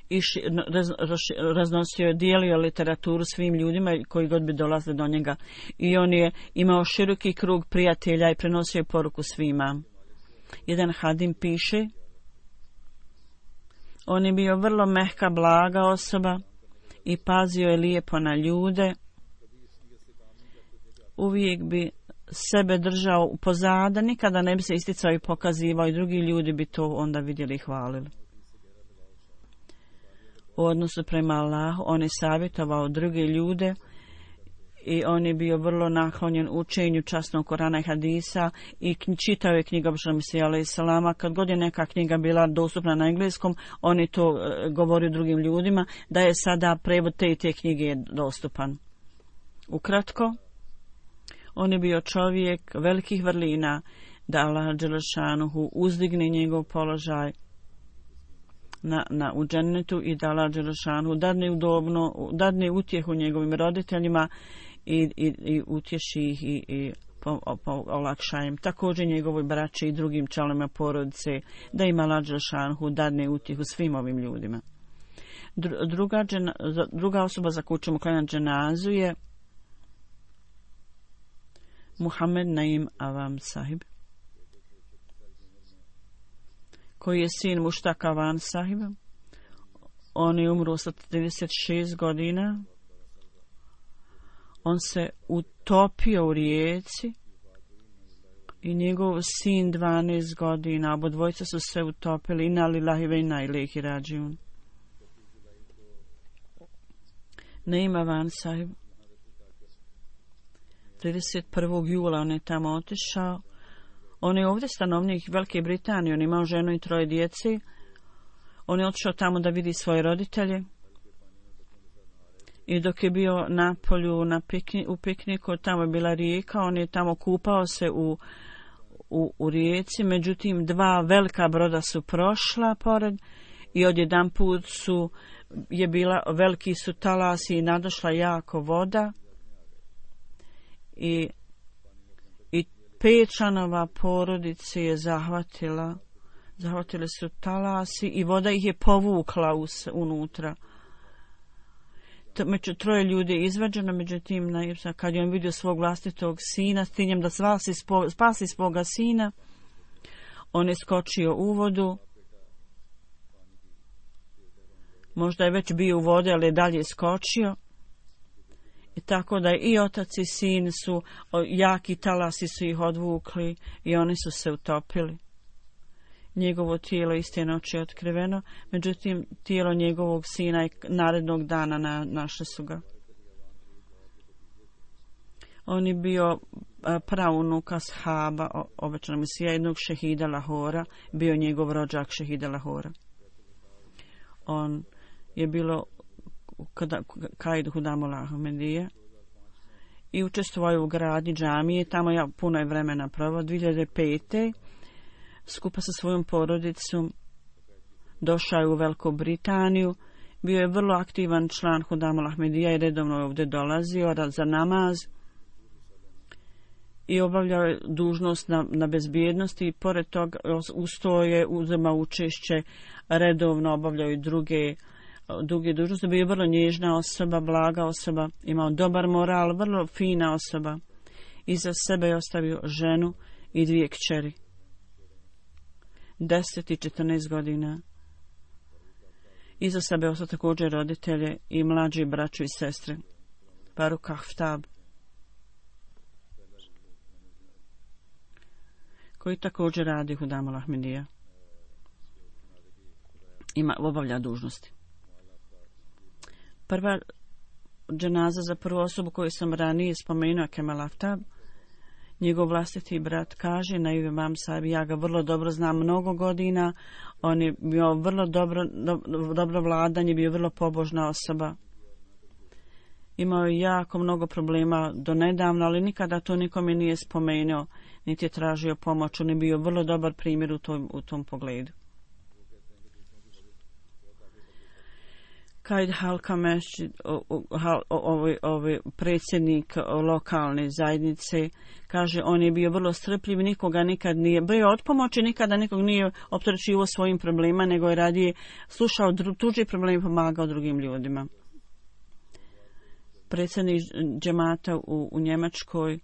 S2: I ši, raz, raz, raznosio je, dijelio literaturu svim ljudima koji god bi dolazili do njega. I on je imao široki krug prijatelja i prenosio poruku svima. Jedan hadim piše, on je bio vrlo mehka, blaga osoba i pazio je lijepo na ljude. Uvijek bi sebe držao pozada, nikada ne bi se isticao i pokazivao i drugi ljudi bi to onda vidjeli i hvalili. U odnosu prema Allahu, on je savjetovao druge ljude i on je bio vrlo naklonjen učenju časnog Korana i hadisa i čitao je knjiga obećanog Mesija alejhi selama. Kad god je neka knjiga bila dostupna na engleskom, on je to govorio drugim ljudima da je sada prevod te i te knjige je dostupan. Ukratko, on je bio čovjek velikih vrlina da Allah dželešanuhu uzdigne njegov položaj na, na u džennetu i da Allah dželešanuhu dadne udobno, dadne utjehu njegovim roditeljima i, i, i utješi ih i, i po, po, olakša im. Također njegovoj braći i drugim članovima porodice, da ima Allah dželešanuhu dadne utjehu svim ovim ljudima. Druga, džena, druga osoba za koju ćemo klanjati dženazu je Muhammed Naim Avam Sahib, koji je sin Muštaka Avan Sahiba. On je umro sa trideset šest godina. On se utopio u rijeci i njegov sin dvanaest godina. Obodvojica su se utopili. Inna lillahi ve inna ilaihi rađiun. Naim Avan Sahib. trideset prvog jula on je tamo otišao. On je ovdje stanovnik Velike Britanije. On imao ženu i troje djece. On je otišao tamo da vidi svoje roditelje. I dok je bio na polju na pikni, u pikniku, tamo je bila rijeka, on je tamo kupao se u, u, u rijeci. Međutim, dva velika broda su prošla pored i odjedanput su je bila, veliki su talasi i nadošla jako voda. I, i pet članova porodice je zahvatila. Zahvatili su talasi i voda ih je povukla us, unutra. Među troje ljudi je izvađeno, međutim, kad je on vidio svog vlastitog sina, s ciljem da spasi, spasi svoga sina, on je skočio u vodu. Možda je već bio u vodi, ali je dalje skočio. I tako da i otac i sin su, jaki talasi su ih odvukli i oni su se utopili. Njegovo tijelo iste noći je otkriveno, međutim tijelo njegovog sina je narednog dana na, našli su ga. On je bio praunuk ashaba, obećana misija jednog šehida Lahora, bio njegov rođak šehida Lahora. On je bilo kada Kaid Hudamul Ahmedije i učestvovao u gradnji džamije, tamo ja puno je vremena proveo. dvije hiljade pete skupa sa svojom porodicom došao je u Veliku Britaniju, bio je vrlo aktivan član Hudamul Ahmedija i redovno je ovdje dolazio za namaz i obavljao je dužnost na, na bezbjednosti i pored toga usto je uzimao učešće, redovno obavljao i druge druge dužnosti. Bio je vrlo nježna osoba, blaga osoba, imao dobar moral, vrlo fina osoba. Iza sebe je ostavio ženu i dvije kćeri. deset i četrnaest godina. Iza sebe ostao također roditelje i mlađi braću i sestre. Faruk Aftab, koji također radi Hudamul Ahmedija. Ima, obavlja dužnosti. Prva dženaza za prvu osobu koju sam ranije spomenuo, Kemal Aftab, njegov vlastiti brat kaže, Naim Imam Sahib, ja ga vrlo dobro znam mnogo godina, on je bio vrlo dobro, do, dobro vladanje, bio vrlo pobožna osoba. Imao je jako mnogo problema do nedavno, ali nikada to nikome nije spomenuo, niti je tražio pomoć, on je bio vrlo dobar primjer u tom, u tom pogledu. Kaid Halka Mešćid, ovaj, ovaj predsjednik lokalne zajednice, kaže, on je bio vrlo strpljiv, nikoga nikad nije bio od pomoći, nikada nikog nije opterećivao svojim problema, nego je radije slušao tuđe probleme i pomagao drugim ljudima. Predsjednik džemata u, u Njemačkoj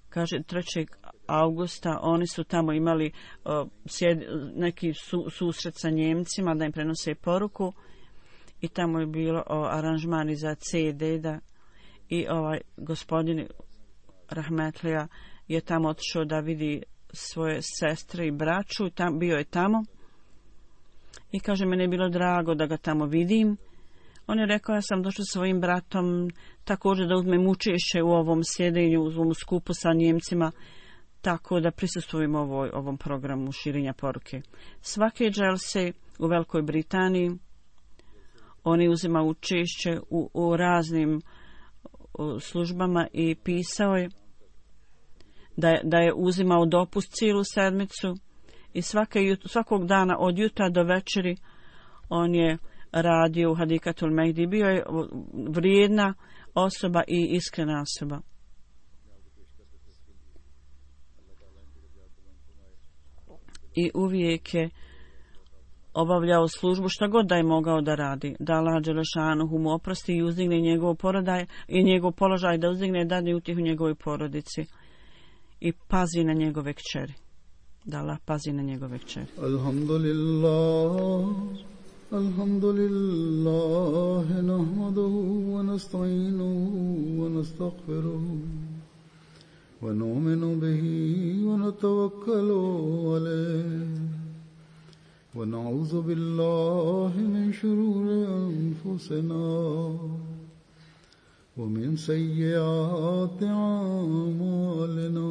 S2: kaže trećeg augusta oni su tamo imali uh, sjed, neki su, susret sa Njemcima da im prenose poruku i tamo je bilo uh, aranžmani za ce de da i ovaj gospodin Rahmetlija je tamo otišao da vidi svoje sestre i braću, tam, bio je tamo i kaže, mene je bilo drago da ga tamo vidim. On je rekao, ja sam došao svojim bratom također da uzmem učešće u ovom sjedenju, u ovom skupu sa Njemcima, tako da prisustvujem ovoj, ovom programu širenja poruke. Svake dželse u Velikoj Britaniji oni uzima učešće u, u raznim u službama i pisao je da, je da je uzimao dopust cijelu sedmicu i svake, svakog dana od jutra do večeri on je radio u Hadikatul Mehdi. Bio je vrijedna osoba i iskrena osoba. I uvijek je obavljao službu šta god da je mogao da radi, da Allah dželešanuhu mu oprosti i uzdigne njegov porodaj i njegov položaj, da uzdigne dadne utjehu njegovoj porodici i pazi na njegove kćeri. Da Allah pazi na njegove kćeri.
S1: Alhamdulillah, alhamdulillah, nahmaduhu wa nasta'inuhu wa nastaghfiruhu wa nu'minu bihi wa natawakkalu alayhi wa na'udhu billahi min shururi anfusina wa min sayyiati a'malina.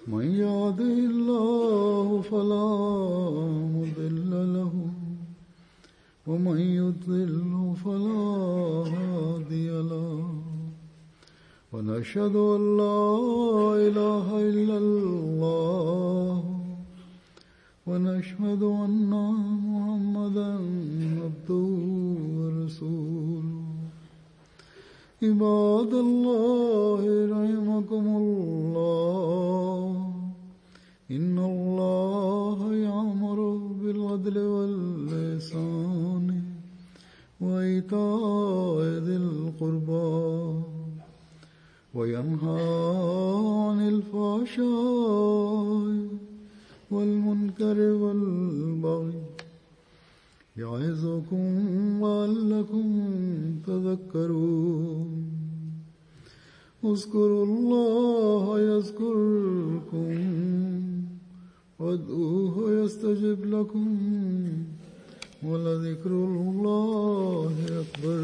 S1: من يهده الله فلا مضل له ومن يضلل فلا هادي له ونشهد أن لا إله إلا الله ونشهد أن محمدا عبده ورسوله. عباد الله رحمكم الله إن الله يأمر بالعدل والإحسان وإيتاء ذي القربى وينهى عن الفحشاء والمنكر والبغي يعظكم لعلكم تذكرون. اذكروا الله يذكركم وادعوه يستجب لكم ولذكر الله أكبر.